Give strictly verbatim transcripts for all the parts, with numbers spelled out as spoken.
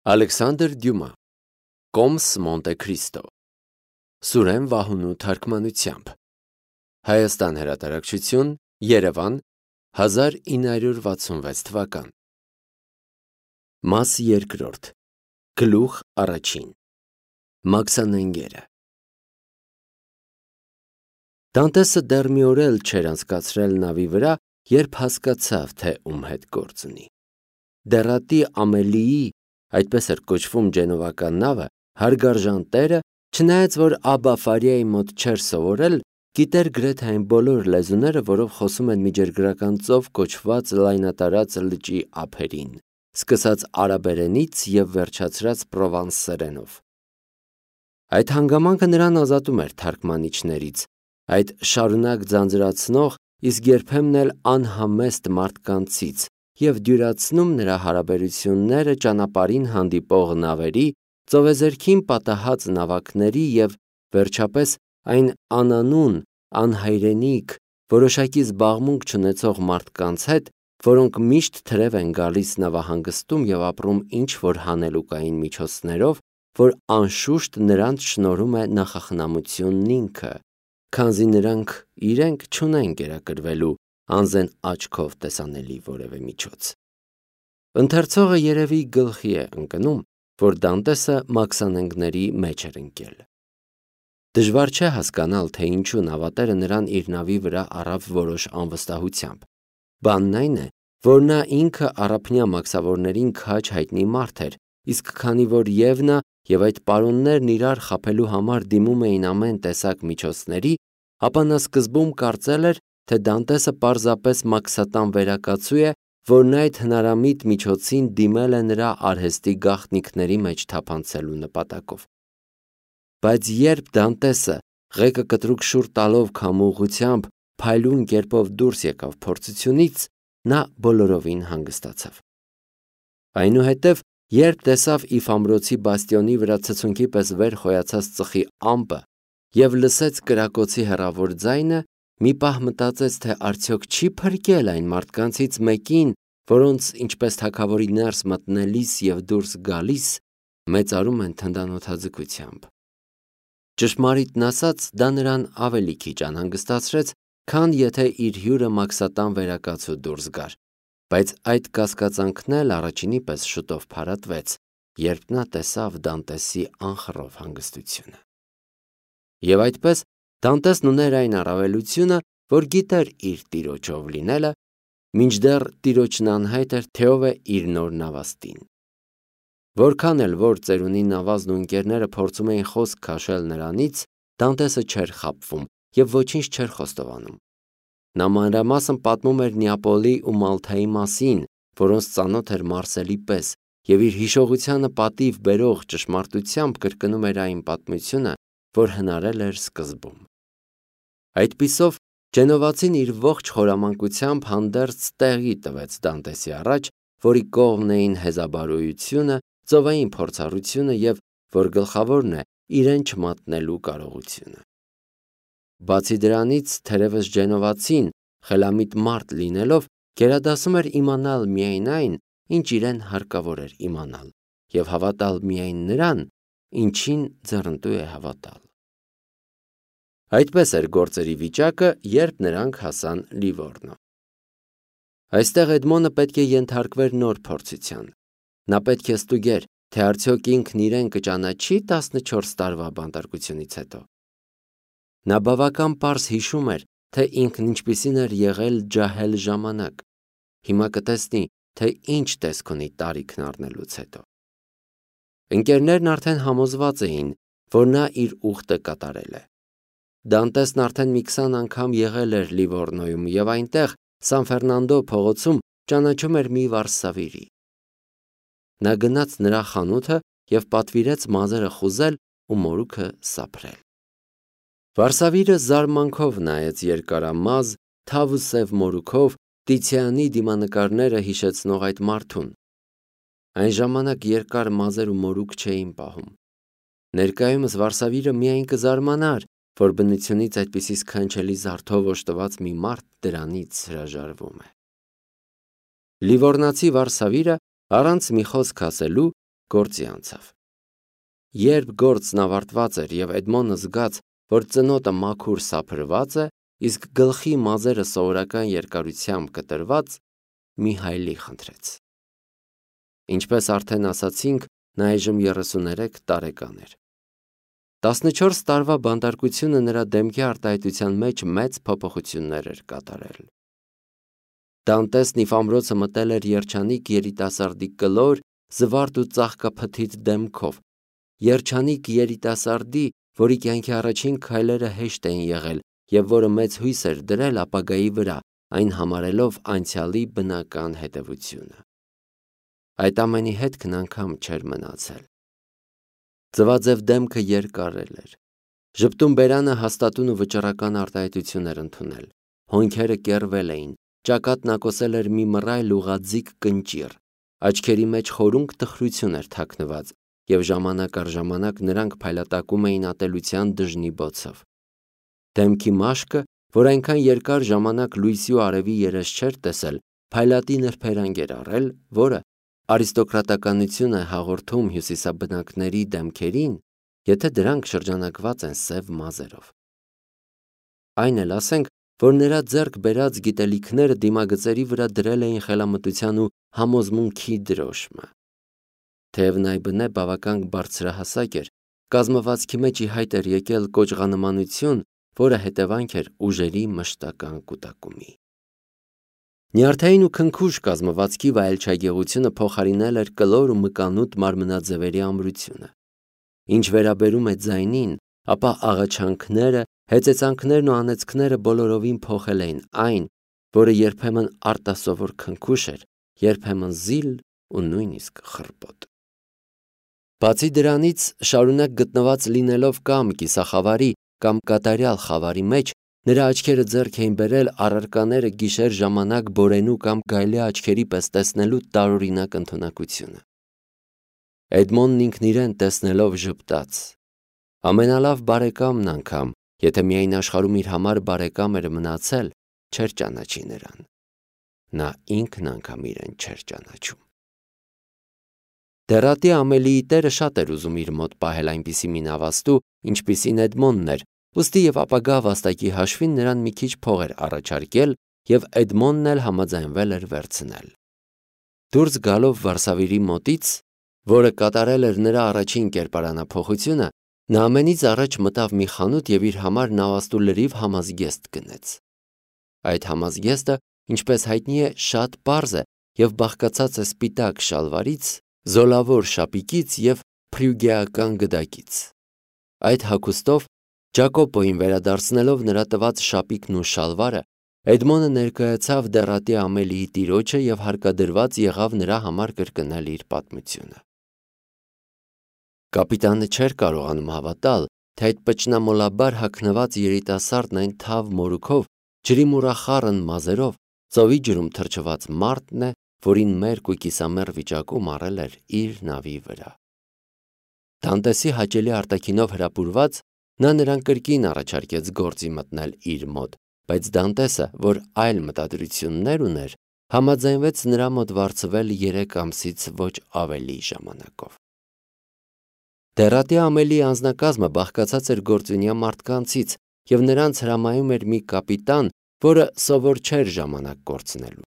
Ալեքսանդր Դյումա Կոմս Մոնտե Քրիստո Սուրեն Վահունու թարգմանությամբ Հայաստան հրատարակչություն Երևան հազար ինը հարյուր վաթսունվեց թվական Մաս երկրորդ Գլուխ առաջին Մաքսանենգերը Դանտեսը դեռ մի օր էլ չէր անցկացրել նավի վրա, երբ հասկացավ, թե ում հետ գործ ունի։ Դեռատի Ամելիի, այդպես էր կոչվում Ջենովական նավը, հարգարժան տերը, չնայած որ Աբա Ֆարիայի մոտ չէր սովորել, գիտեր գրեթե այն բոլոր լեզուները, որով խոսում են միջերգրական ծով կոչված լայնատարած լճի ափերին, սկսած արաբերենից և վերջացրած պրովանսերենով։ Այդ հանգամանքը նրան ազատում էր թարգմանիչներից, այդ շարունակ ձանձրացնող, իսկ երբեմն էլ անհամեստ մարդկանցից և դյուրացնում նրա հարաբերությունները ճանապարհին հանդիպող նավերի, ծովեզերքին պատահած նավակների և, վերջապես, այն անանուն, անհայրենիք, որոշակի զբաղմունք չունեցող մարդկանց հետ, որոնք միշտ թրև են գալիս նավահանգստում և ապրում ինչ-որ հանելուկային միջոցներով, որ անշուշտ նրանց շնորհում է նախախնամությունն ինքը, քանզի նրանք իրենք չունեն կերակրվելու անզեն աչքով տեսանելի որևէ միջոց։ Ընթերցողը երևի գլխի է ընկնում, որ Դանտեսը մաքսանենգների մեջ էր ընկել։ Դժվար չէ հասկանալ, թե ինչու նավատերը նրան իր նավի վրա առավ որոշ անվստահությամբ։ Բանն այն է, որ նա ինքը առափնյա մաքսավորներին քաջ հայտնի մարդ էր, իսկ քանի որ և նա, և այդ պարոններն իրար խաբելու համար դիմում էին ամեն տեսակ միջոցների, ապա նա սկզբում կարծել էր, թե Դանտեսը պարզապես մաքսատան վերակացու է, որն այդ հնարամիտ միջոցին դիմել է նրա արհեստի գաղտնիքների մեջ թափանցելու նպատակով։ Բայց երբ Դանտեսը ղեկը կտրուկ շուռ տալով քամուղությամբ փայլուն կերպով դուրս եկավ փորձությունից, նա բոլորովին հանգստացավ։ Այնուհետև, երբ տեսավ Իֆամրոցի բաստիոնի վրա ցցունքի պես վեր խոյացած ծխի ամպը և լսեց կրակոցի հեռավոր ձայնը, մի պահ մտածեց, թե արդյոք չի փրկել այն մարդկանցից մեկին, որոնց, ինչպես թագավորի ներս մտնելիս և դուրս գալիս, մեծարում են թնդանոթաձգությամբ։ Ճշմարիտն ասած, դա նրան ավելի քիչ անհանգստացրեց, քան եթե իր հյուրը մաքսատան վերակացու դուրս գար, բայց այդ կասկածանքն էլ առաջինի պես շուտով փարատվեց, երբ նա տեսավ Դանտեսի անխռով հանգստությունը։ Եվ այդպես Դանտեսն ուներ այն առավելությունը, որ գիտեր իր տիրոջով լինելը, մինչդեռ տիրոջն անհայտ էր, թե ով է իր նոր նավաստին։ Որքան էլ որ ծերունի նավազն ու ընկերները փորձում էին խոսք քաշել նրանից, Դանտեսը չէր խաբվում և ոչինչ չէր խոստովանում։ Նա մանրամասն պատմում էր Նեապոլի ու Մալթայի մասին, որոնց ծանոթ էր Մարսելի պես, և իր հիշողությանը պատիվ բերող ճշմարտությամբ կրկնում էր այն պատմությունը, որ հնարել էր սկզբում։ Այդպիսով Ջենովացին իր ողջ խորամանկությամբ հանդերձ տեղի տվեց Դանտեսի առաջ, որի կողմն էին հեզաբարոյությունը, ծովային փորձառությունը և, որ գլխավորն է, իրեն չմատնելու կարողությունը։ Բացի դրանից, թերևս Ջենովացին, խելամիտ մարդ լինելով, գերադասում էր իմանալ միայն այն, ինչ իրեն հարկավոր էր իմանալ, և հավատալ միայն նրան, ինչին ձեռնտու է հավատալ։ Այդպես էր գործերի վիճակը, երբ նրանք հասան Լիվորնո։ Այստեղ Էդմոնը պետք է ենթարկվեր նոր փորձության։ Նա պետք է ստուգեր, թե արդյոք ինքն իրեն կճանաչի տասնչորս տարվա բանտարկությունից հետո։ Նա բավական պարզ հիշում էր, թե ինքն ինչպիսին էր եղել ջահել ժամանակ։ Հիմա կտեսնի, թե ինչ տեսք ունի տարիքն առնելուց հետո։ Ընկերներն արդեն համոզված էին, որ նա իր ուխտը կատարել է։ Դանտեսն արդեն մի քսան անգամ եղել էր Լիվորնոյում և այնտեղ, Սան Ֆերնանդո փողոցում, ճանաչում էր մի վարսավիրի։ Նա գնաց նրա խանութը և պատվիրեց մազերը խուզել ու մորուքը սափրել։ Վարսավիրը զարմանքով նայեց երկարամազ, թավ ու սև մորուքով Տիցիանի դիմանկարները հիշեցնող այդ մարդուն։ Այն ժամանակ երկար մազեր ու մորուք չէին պահում։ Ներկայումս Վարսավիրը միայն կզարմանար, որ բնությունից այդպիսի սքանչելի զարդով օժտված մի մարդ դրանից հրաժարվում է։ Լիվորնացի վարսավիրը, առանց մի խոսք ասելու, գործի անցավ։ Երբ գործն ավարտված էր եւ Էդմոնը զգաց, որ ծնոտը մաքուր սափրված է, իսկ գլխի մազերը սովորական երկարությամբ կտրված, մի հայլի խնդրեց։ Ինչպես արդեն ասացինք, նա այժմ երեսուներեք տարեկան էր։ տասնչորս տարվա բանտարկությունը նրա դեմքի արտահայտության մեջ մեծ փոփոխություններ էր կատարել։ Դանտեսն ի ամրոցը մտել էր երջանիկ երիտասարդի կլոր, զվարթ ու ծաղկափթիթ դեմքով, երջանիկ երիտասարդի, որի կյանքի առաջին քայլերը հեշտ էին եղել եւ որը մեծ հույս էր դրել ապագայի վրա, այն համարելով անցյալի բնական հետևությունը։ Այդ ամենի հետքն անգամ չէր մնացել։ Ձվաձև դեմքը երկարել էր։ Ժպտուն բերանը հաստատուն ու վճռական արտահայտություն էր ընդունել։ Հոնքերը կեռվել էին, ճակատն ակոսել էր մի մռայլ ուղղաձիգ կնճիռ, աչքերի մեջ խորունկ տխրություն էր թաքնված, եւ ժամանակ առ ժամանակ նրանք փայլատակում էին ատելության դժնի բոցով։ Դեմքի մաշկը, որ այնքան երկար ժամանակ լույսի ու արևի երես չէր տեսել, փայլատի նրբերանգ էր առել, որը արիստոկրատականություն է հաղորդում հյուսիսաբնակների դեմքերին, եթե դրանք շրջանակված են սև մազերով։ Այն էլ ասենք, որ նրա ձեռք բերած գիտելիքները դիմագծերի վրա դրել էին խելամտության ու համոզմունքի դրոշմը։ Թեև նայբնե բավական բարձրահասակ էր, կազմվածքի մեջ ի հայտ էր եկել կոճղանմանություն, որը հետևանք էր ուժերի մշտական կուտակումի։ Նյարդային ու քնքուշ կազմվածքի վայելչագեղությունը փոխարինել էր կլոր ու մկանուտ մարմնաձևերի ամրությունը։ Ինչ վերաբերում է ձայնին, ապա աղաչանքները, հեծեծանքներն ու անեծքները բոլորովին փոխել էին այն, որը երբեմն արտասովոր քնքուշ էր, երբեմն զիլ ու նույնիսկ խռպոտ։ Բացի դրանից, շարունակ գտնված լինելով կամ կիսախավարի, կամ կատարյալ խավարի մեջ, նրա աչքերը ձեռք էին բերել առարկաները գիշեր ժամանակ բորենու կամ գայլի աչքերի պես տեսնելու տարօրինակ ընդունակությունը։ Էդմոնն ինքն իրեն տեսնելով ժպտաց։ Ամենալավ բարեկամն անգամ, եթե միայն աշխարհում իր համար բարեկամ էր մնացել, չէր ճանաչի նրան։ Նա ինքն անգամ իրեն չէր ճանաչում։ Դեռատի Ամելիի տերը շատ էր ուզում իր մոտ պահել այնպիսի մի նավաստու, ինչպիսին Էդմոնն էր, ուստի եւ ապագա վաստակի հաշվին նրան մի քիչ փող էր առաջարկել, եւ Էդմոնն էլ համաձայնվել էր վերցնել։ Դուրս գալով Վարշավայի մոտից, որը կատարել էր նրա առաջին կերպարանափոխությունը, նա ամենից առաջ մտավ մի խանութ եւ իր համար նավաստու լրիվ համազգեստ գնեց։ Այդ համազգեստը, ինչպես հայտնի է, շատ պարզ է եւ բաղկացած է սպիտակ շալվարից, զոլավոր շապիկից եւ փրյուգեական գդակից։ Այդ հագուստով, Ջակոպոին վերադարձնելով նրա տված շապիկն ու շալվարը, Էդմոնը ներկայացավ դեռատի Ամելիի տիրոջը եւ հարկադրված եղավ նրա համար կրկնել իր պատմությունը։ Կապիտանը չէր կարողանում հավատալ, թե այդ պճնամոլաբար հագնված երիտասարդն այն թավ մորուքով, ջրի մուրախառն մազերով, ծովի ջրում թրջված մարդն է, որին մերկ ու կիսամեռ վիճակում առել էր իր նավի վրա։ Դանտեսի հաճելի արտաքինով հրապուրված, նա նրան կրկին առաջարկեց գործի մտնել իր մոտ, բայց Դանտեսը, որ այլ մտադրություններ ուներ, համաձայնվեց նրա մոտ վարձվել երեք ամսից ոչ ավելի ժամանակով։ Դեռատի Ամելիի անձնակազմը բաղկացած էր գործունյա մարդկանցից եւ նրանց հրամայում էր մի կապիտան, որը սովոր չէր ժամանակ կորցնելու։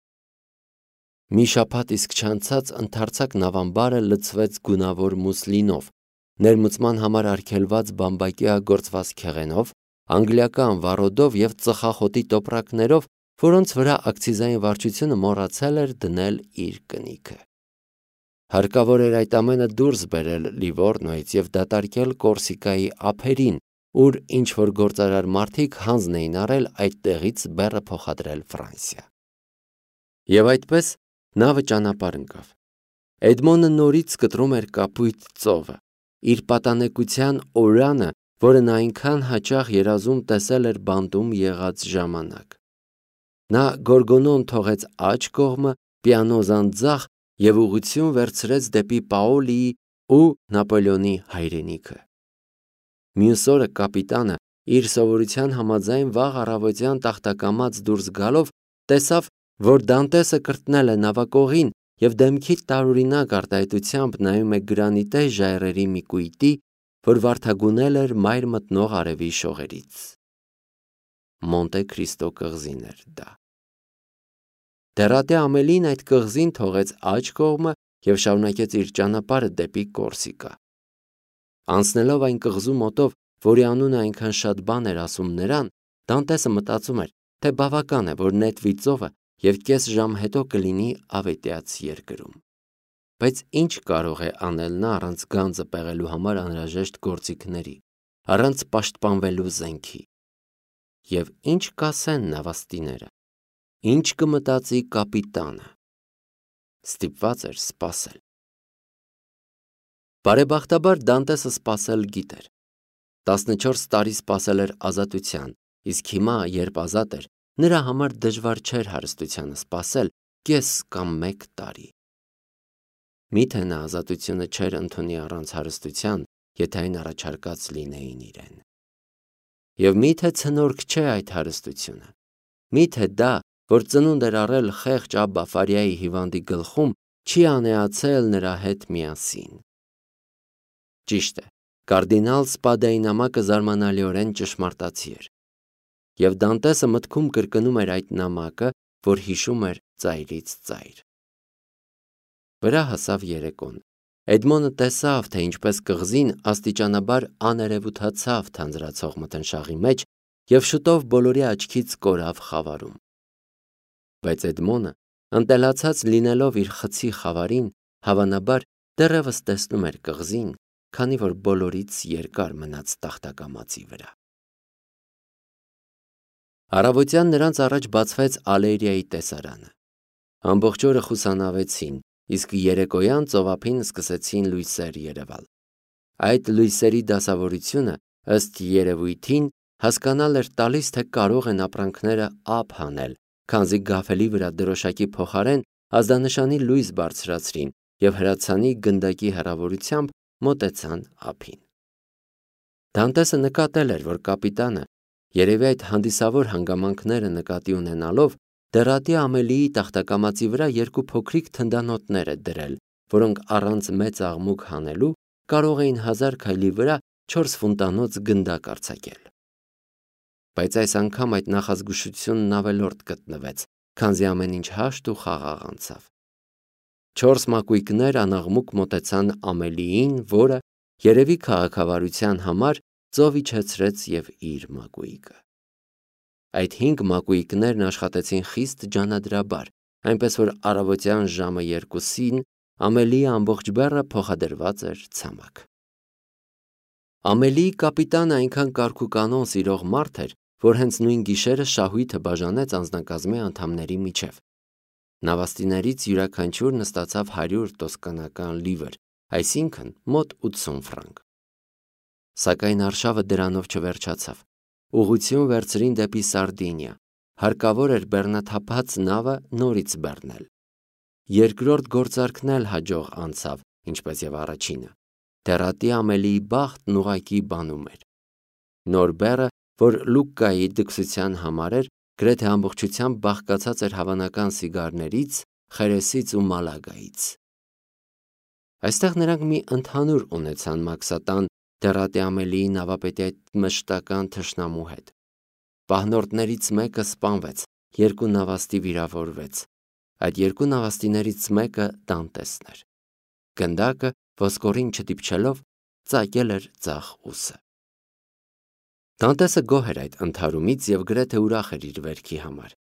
Մի շաբաթ իսկ չանցած ընդարձակ նավամբարը լցվեց գունավոր մուսլինով, ներմուծման համար արգելված բամբակյա գործված քեղենով, անգլիական վառոդով եւ ծխախոտի տոպրակներով, որոնց վրա ակցիզային վարչությունը մոռացել էր դնել իր կնիքը։ Հարկավոր էր այդ ամենը դուրս բերել Լիվորնոյից եւ դատարկել Կորսիկայի ափերին, ուր ինչ որ գործարար մարդիկ հանձն էին առել այդ տեղից բեռը փոխադրել Ֆրանսիա։ Եվ այդպես նավը ճանապարհ ընկավ։ Էդմոնը նորից կտրում էր կապույտ ծովը, իր պատանեկության օրանը, որը նա այնքան հաճախ երազում տեսել էր բանտում եղած ժամանակ։ Նա գորգոնոն թողեց աջ կողմը, պիանոզան ձախ եւ ուղղություն վերցրեց դեպի Պաոլիի ու Նապոլեոնի հայրենիքը։ Մյուս օրը կապիտանը իր սովորության համաձայն վաղ առավոտյան տախտակամած դուրս գալով տեսավ, որ Դանտեսը կրտնել է նավակողին և դեմքի տարօրինակ արտահայտությամբ նայում է գրանիտե ժայռերի մի կույտի, որ վարդագունել էր մայր մտնող արևի շողերից։ Մոնտե Քրիստո կղզին էր դա։ Դեռատե Ամելին այդ կղզին թողեց աջ կողմը և շարունակեց իր ճանապարհը դեպի Կորսիկա։ Անցնելով այն կղզու մոտով, որի անունը այնքան շատ բան էր ասում նրան, Դանտեսը մտածում էր, թե բավական է, որ նետվի ծովը և կես ժամ հետո կլինի ավետյաց երկրում։ Բայց ինչ կարող է անել նա առանց գանձը պեղելու համար անհրաժեշտ գործիքների, առանց պաշտպանվելու զենքի։ Եվ ինչ կասեն նավաստիները, ինչ կմտածի կապիտանը։ Ստիպված էր սպասել։ Բարեբախտաբար Դանտեսը սպասել գիտեր։ տասնչորս տարի սպասել էր ազատության, իսկ հիմա, երբ ազատ էր, նրա համար դժվար չէր հարստությանը սպասել կես կամ մեկ տարի։ Միթե նա ազատությունը չէր ընդունի առանց հարստության, եթե այն առաջարկած լինեին իրեն։ Եվ միթե ցնորք չէ այդ հարստությունը։ Միթե դա, որ ծնունդ էր առել խեղճ Աբբա Ֆարիայի հիվանդի գլխում, չի անեացել նրա հետ միասին։ Ճիշտ է, կարդինալ Սպադայի նամակը զարմանալիորեն ճշմարտացի էր։ Եվ Դանտեսը մտքում կրկնում էր այդ նամակը, որ հիշում էր ծայրից ծայր։ Վրա հասավ երեկոն։ Էդմոնը տեսավ, թե ինչպես կղզին աստիճանաբար աներևութացավ թանձրացող մթնշաղի մեջ և շուտով բոլորի աչքից կորավ խավարում։ Բայց Էդմոնը, ընտելացած լինելով իր խցի խավարին, հավանաբար դեռևս տեսնում էր կղզին, քանի որ բոլորից երկար մնաց տախտակամածի վրա։ Առավոտյան նրանց առաջ բացվեց Ալեյրիայի տեսարանը։ Ամբողջ օրը խուսանավեցին, իսկ երեկոյան ծովափին սկսեցին լույսեր երևալ։ Այդ լույսերի դասավորությունը, ըստ երևույթին, հասկանալ էր տալիս, թե կարող են ապրանքները ափ հանել, քանզի գաֆելի վրա դրոշակի փոխարեն ազդանշանի լույս բարձրացրին և հրացանի գնդակի հեռավորությամբ մոտեցան ափին։ Դանտեսը նկատել էր, որ կապիտանը, երևի այդ հանդիսավոր հանգամանքները նկատի ունենալով, դեռատի Ամելիի տախտակամածի վրա երկու փոքրիկ թնդանոթներ է դրել, որոնք առանց մեծ աղմուկ հանելու կարող էին հազար քայլի վրա չորս ֆունտանոց գնդակ արձակել։ Բայց այս անգամ այդ նախազգուշությունն ավելորդ գտնվեց, քանզի ամեն ինչ հաշտ ու խաղաղ անցավ։ Չորս մակույկներ անաղմուկ մոտեցան Ամելիին, որը, երևի քաղաքավարության համար, ծով իջեցրեց և իր մակույկը։ Այդ հինգ մակույկներն աշխատեցին խիստ ջանադրաբար, այնպես որ առավոտյան ժամը երկուսին Ամելիի ամբողջ բեռը փոխադրված էր ցամաք։ Ամելիի կապիտանը այնքան կարգուկանոն սիրող մարդ էր, որ հենց նույն գիշերը շահույթը բաժանեց անձնակազմի անդամների միջև։ Նավաստիներից յուրաքանչյուրն ստացավ հարյուր տոսկանական լիվր, այսինքն մոտ ութսուն ֆրանկ։ Սակայն արշավը դրանով չվերջացավ։ Ուղղություն վերցրին դեպի Սարդինիա, հարկավոր էր բեռնաթափած նավը նորից բեռնել։ Երկրորդ գործարքն էլ հաջող անցավ, ինչպես և առաջինը։ Դեռատի Ամելիի բախտն ուղղակի բանում էր։ Նոր բեռը, որ Լուկկայի դքսության համար էր, գրեթե ամբողջությամբ բաղկացած էր հավանական սիգարներից, խերեսից ու մալագայից։ Այստեղ նրանք մի ընդհանուր ունեցան Մաքսատան դեռատի Ամելիի նավապետի այդ մշտական թշնամու հետ։ Պահնորդներից մեկը սպանվեց, երկու նավաստի վիրավորվեց։ Այդ երկու նավաստիներից մեկը Դանտեսն էր։ Գնդակը, ոսկորին չդիպչելով, ծակել էր ձախ ուսը։ Դանտեսը գոհ էր այդ ընդհարումից և գրեթե ուրախ էր իր վերքի համար։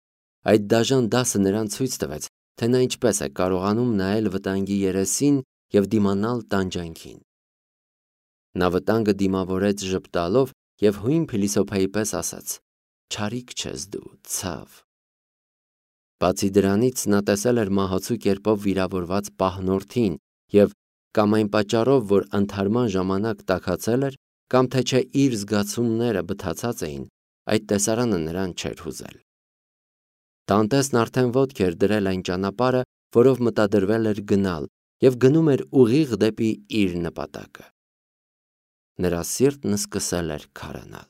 Այդ դաժան դասը նրան ցույց տվեց, թե նա ինչպես է կարողանում նայել վտանգի երեսին և դիմանալ տանջանքին։ Նա վտանգը դիմավորեց ժպտալով և հույն փիլիսոփայի պես ասաց. «Չարիք չես դու, ցավ»։ Բացի դրանից նա տեսել էր մահացու կերպով վիրավորված պահնորդին և կամ այն պատճառով, որ ընդհարման ժամանակ տաքացել էր, կամ թե չէ իր զգացումները բթացած էին, այդ տեսարանը նրան չէր հուզել։ Դանտեսն արդեն ոտք էր դրել այն ճանապարհը, որով մտադրվել էր գնալ, և գնում էր ուղիղ դեպի իր նպատակը։ Նրա սիրտն սկսել էր քարանալ։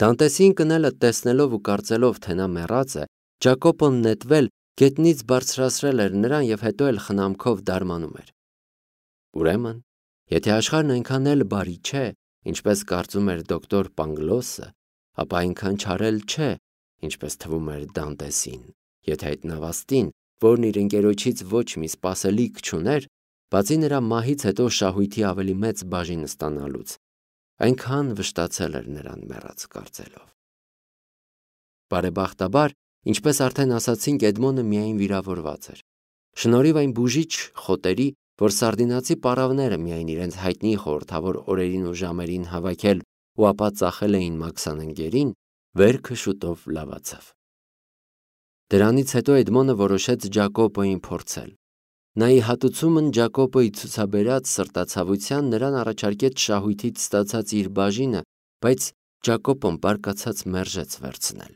Դանտեսին կնելը տեսնելով ու կարծելով, թե նա մեռած է, Ջակոպոն նետվել գետնից բարձրացրել էր նրան և հետո էլ խնամքով դարմանում էր։ Ուրեմն, եթե աշխարհն այնքան էլ բարի չէ, ինչպես կարծում էր դոկտոր Պանգլոսը, ապա այնքան չարել չէ, ինչպես թվում էր Դանտեսին, եթե այդ նավաստին, որն իր ընկերոջից ոչ մի սպասելիք չուներ, բացի նրա մահից հետո շահույթի ավելի մեծ բաժին ստանալուց, այնքան վշտացել էր նրան մեռած կարծելով։ Բարեբախտաբար, ինչպես արդեն ասացինք, Էդմոնը միայն վիրավորված էր։ Շնորհիվ այն բուժիչ խոտերի, որ սարդինացի պառավները միայն իրենց հայտնի խորհրդավոր օրերին ու ժամերին հավաքել ու ապա ծախել էին մաքսանենգերին, վերքը շուտով լավացավ։ Դրանից հետո Էդմոնը որոշեց Ջակոպոյին փորձել։ Նա ի հատուցումն Ջակոպոյի ցուցաբերած սրտացավության նրան առաջարկեց շահույթից ստացած իր բաժինը, բայց Ջակոպոն բարկացած մերժեց վերցնել։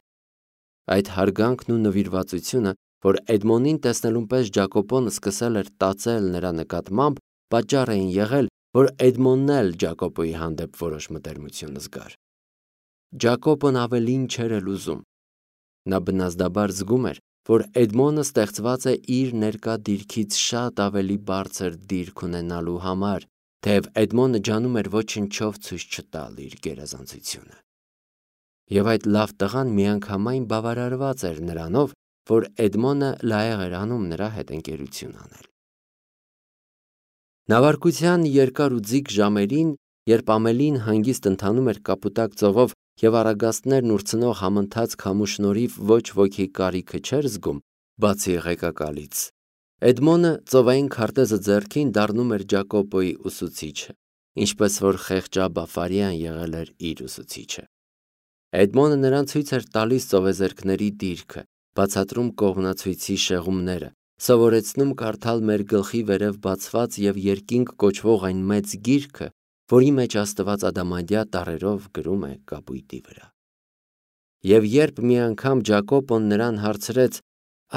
Այդ հարգանքն ու նվիրվածությունը, որ Էդմոնին տեսնելուն պես Ջակոպոն սկսել էր տածել նրա նկատմամբ, պատճառ էին եղել, որ Էդմոնն էլ Ջակոպոյի հանդեպ որոշ մտերմություն զգար։ Ջակոպոն ավելին չէր էլ ուզում։ Նա բնազդաբար զգում էր, որ Էդմոնը ստեղծված է իր ներկա դիրքից շատ ավելի բարձր դիրք ունենալու համար, թեև Էդմոնը ջանում էր ոչնչով ցույց չտալ իր գերազանցությունը։ Եվ այդ լավ տղան միանգամայն բավարարված էր նրանով, որ Էդմոնը լայեղ էր անում նրա հետ ընկերություն անել։ Նավարկության երկար ու ձիգ ժամերին, երբ ամելին հանգիստ ընթանում էր Կապուտակ ծովով և առագաստներն ուրցնող համընթաց քամու շնորհիվ ոչ ոքի կարիքը չէր զգում, բացի ղեկակալից, Էդմոնը ծովային քարտեզը ձեռքին դառնում էր Ջակոպոյի ուսուցիչը, ինչպես որ խեղճաբաֆարյան եղել էր իր ուսուցիչը։ Էդմոնը նրան ցույց էր տալիս ծովեզերքների դիրքը, բացատրում կողմնացույցի շեղումները, սովորեցնում կարդալ մեր գլխի վերև բացված և երկինք կոչվող այն մեծ գիրքը, որի մեջ Աստված ադամանդյա տառերով գրում է կապույտի վրա։ Եվ երբ մի անգամ Ջակոպոն նրան հարցրեց.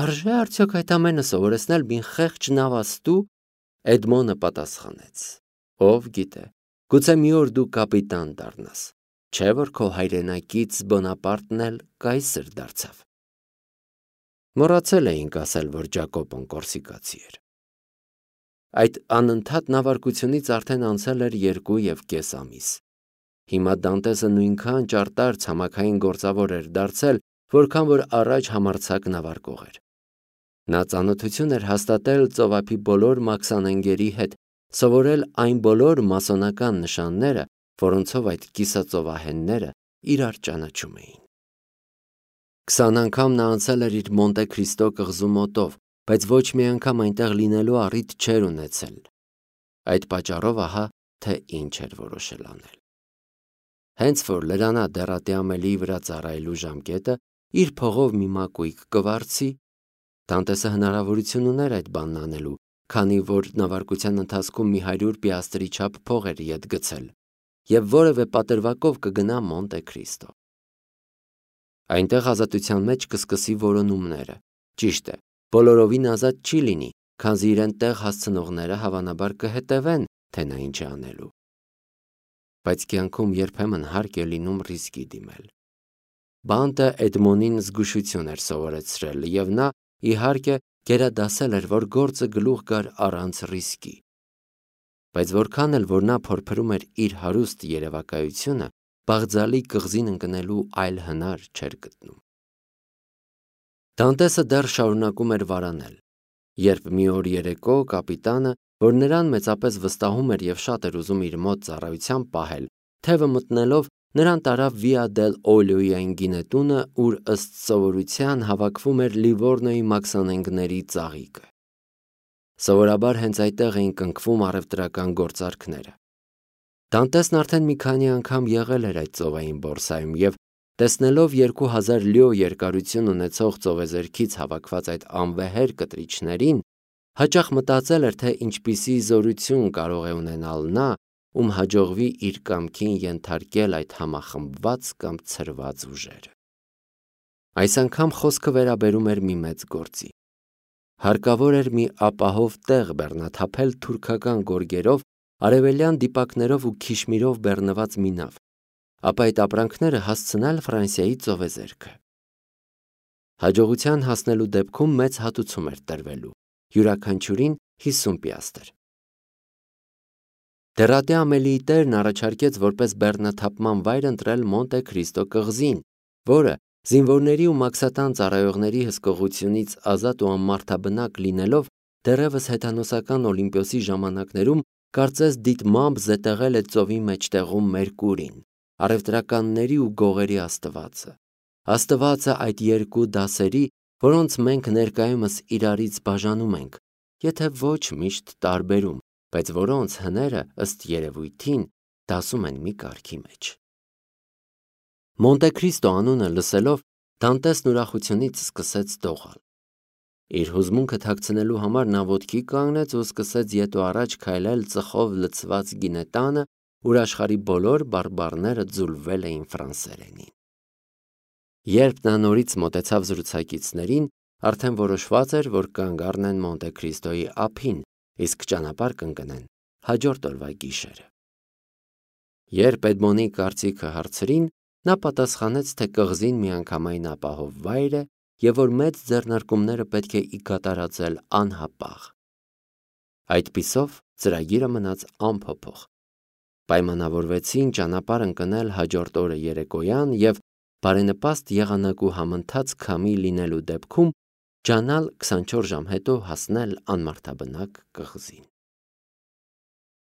«Արժե՞ արդյոք այդ ամենը սովորեցնել մի խեղճ նավաստու», Էդմոնը պատասխանեց. «Ով գիտե, գուցե մի օր դու կապիտան դառնաս, չէ՞ որ քո հայրենակից Բոնապարտն էլ կայսր դարձավ»։ Մոռացել էինք ասել, որ Ջակոպոն կորսիկացի էր։ Այդ անընդհատ նավարկությունից արդեն անցել էր երկու և կես ամիս։ Հիմա Դանտեսը նույնքան ճարտար ցամաքային գործավոր էր դարձել, որքան որ առաջ համարձակ նավարկող էր։ Նա ծանոթություն էր հաստատել ծովափի բոլոր մաքսանենգերի հետ, սովորել այն բոլոր մասոնական նշանները, որոնցով այդ կիսածովահենները իրար ճանաչում էին։ Քսան անգամ նա անցել էր իր Մոնտե Քրիստո կղզու մոտով, բայց ոչ մի անգամ այնտեղ լինելու առիթ չէր ունեցել։ Այդ պատճառով ահա թե ինչ էր որոշել անել։ Հենց որ լրանա դեռատի ամելիի վրա ծառայելու ժամկետը, իր փողով մի մակույկ կվարձի, Դանտեսը հնարավորություն ուներ այդ բանն անելու, քանի որ նավարկության ընթացքում մի հարյուր պիաստրի չափ փող էր ետ գցել, և որևէ պատրվակով կգնա Մոնտե Քրիստո։ Այնտեղ ազատության մեջ կսկսի որոնումները։ Ճիշտ է, բոլորովին ազատ չի լինի, քանզի իրեն տեղ հասցնողները հավանաբար կհետևեն, թե նա ինչ է անելու։ Բայց կյանքում երբեմն հարկ է լինում ռիսկի դիմել։ Բանտը Էդմոնին զգուշություն էր սովորեցրել, և նա, իհարկե, գերադասել էր, որ գործը գլուխ գար առանց ռիսկի։ Բայց որքան էլ որ նա փորփրում էր իր հարուստ երևակայությունը, Բաղձալի կղզին ընկնելու այլ հնար չէր գտնում։ Դանտեսը դեռ շարունակում էր վարանել, երբ մի օր երեկո կապիտանը, որ նրան մեծապես վստահում էր և շատ էր ուզում իր մոտ ծառայության պահել, թևը մտնելով, նրան տարավ Վիա դել Օլիոյի այն գինետունը, ուր ըստ սովորության հավաքվում էր Լիվորնոյի մաքսանենգների ծաղիկը։ Սովորաբար հենց այդտեղ էին կնքվում առևտրական գործարքները։ Դանտեսն արդեն մի քանի անգամ եղել էր այդ ծովային բորսայում և, տեսնելով երկու հազար լյո երկարություն ունեցող ծովեզերքից հավաքված այդ անվեհեր կտրիչներին, հաճախ մտածել էր, թե ինչպիսի զորություն կարող է ունենալ նա, ում հաջողվի իր կամքին ենթարկել այդ համախմբված կամ ցրված ուժերը։ Այս անգամ խոսքը վերաբերում էր մի մեծ գործի։ Հարկավոր էր մի ապահով տեղ բեռնաթափել թուրքական գորգերով, արևելյան դիպակներով ու քիշմիրով բեռնված մի նավ, ապա այդ ապրանքները հասցնել Ֆրանսիայի ծովեզերքը։ Հաջողության հասնելու դեպքում մեծ հատուցում էր տրվելու, յուրաքանչյուրին հիսուն պիաստր։ Դերատի Ամելիի տերն առաջարկեց որպես բեռնաթափման վայր ընտրել Մոնտե Քրիստո կղզին, որը զինվորների ու մաքսատան ծառայողների հսկողությունից ազատ ու անմարդաբնակ լինելով դեռևս հեթանոսական Օլիմպիոսի ժամանակներում կարծես դիտմամբ զետեղել է ծովի մեջտեղում Մերկուրին, առևտրականների ու գողերի աստվածը, աստվածը այդ երկու դասերի, որոնց մենք ներկայումս իրարից բաժանում ենք, եթե ոչ միշտ տարբերում, բայց որոնց հները ըստ երևույթին դասում են մի կարգի մեջ։ Մոնտե Քրիստո անունը լսելով Դանտեսն ուրախությունից սկսեց դողալ։ Իր հուզմունքը թաքցնելու համար նա ոտքի կանգնեց ու սկսեց ետ ու առաջ քայլել ծխով լցված գինետանը, ուր աշխարհի բոլոր բարբառները ձուլվել էին ֆրանսերենին։ Երբ նա նորից մոտեցավ զրուցակիցներին, արդեն որոշված էր, որ կանգ առնեն Մոնտե Քրիստոյի ափին, իսկ ճանապարհ կընկնեն հաջորդ օրվա գիշերը։ Երբ Էդմոնի կարծիքը հարցրին, նա պատասխանեց, թե կղզին միանգամայն ապահով վայր է և որ մեծ ձեռնարկումները պետք է ի կատարածել անհապաղ։ Այդպիսով ծրագիրը մնաց անփոփոխ։ Պայմանավորվեցին ճանապարհ ընկնել հաջորդ օրը երեկոյան և բարենպաստ եղանակ ու համընթաց քամի լինելու դեպքում ջանալ քսանչորս ժամ հետո հասնել անմարդաբնակ կղզին։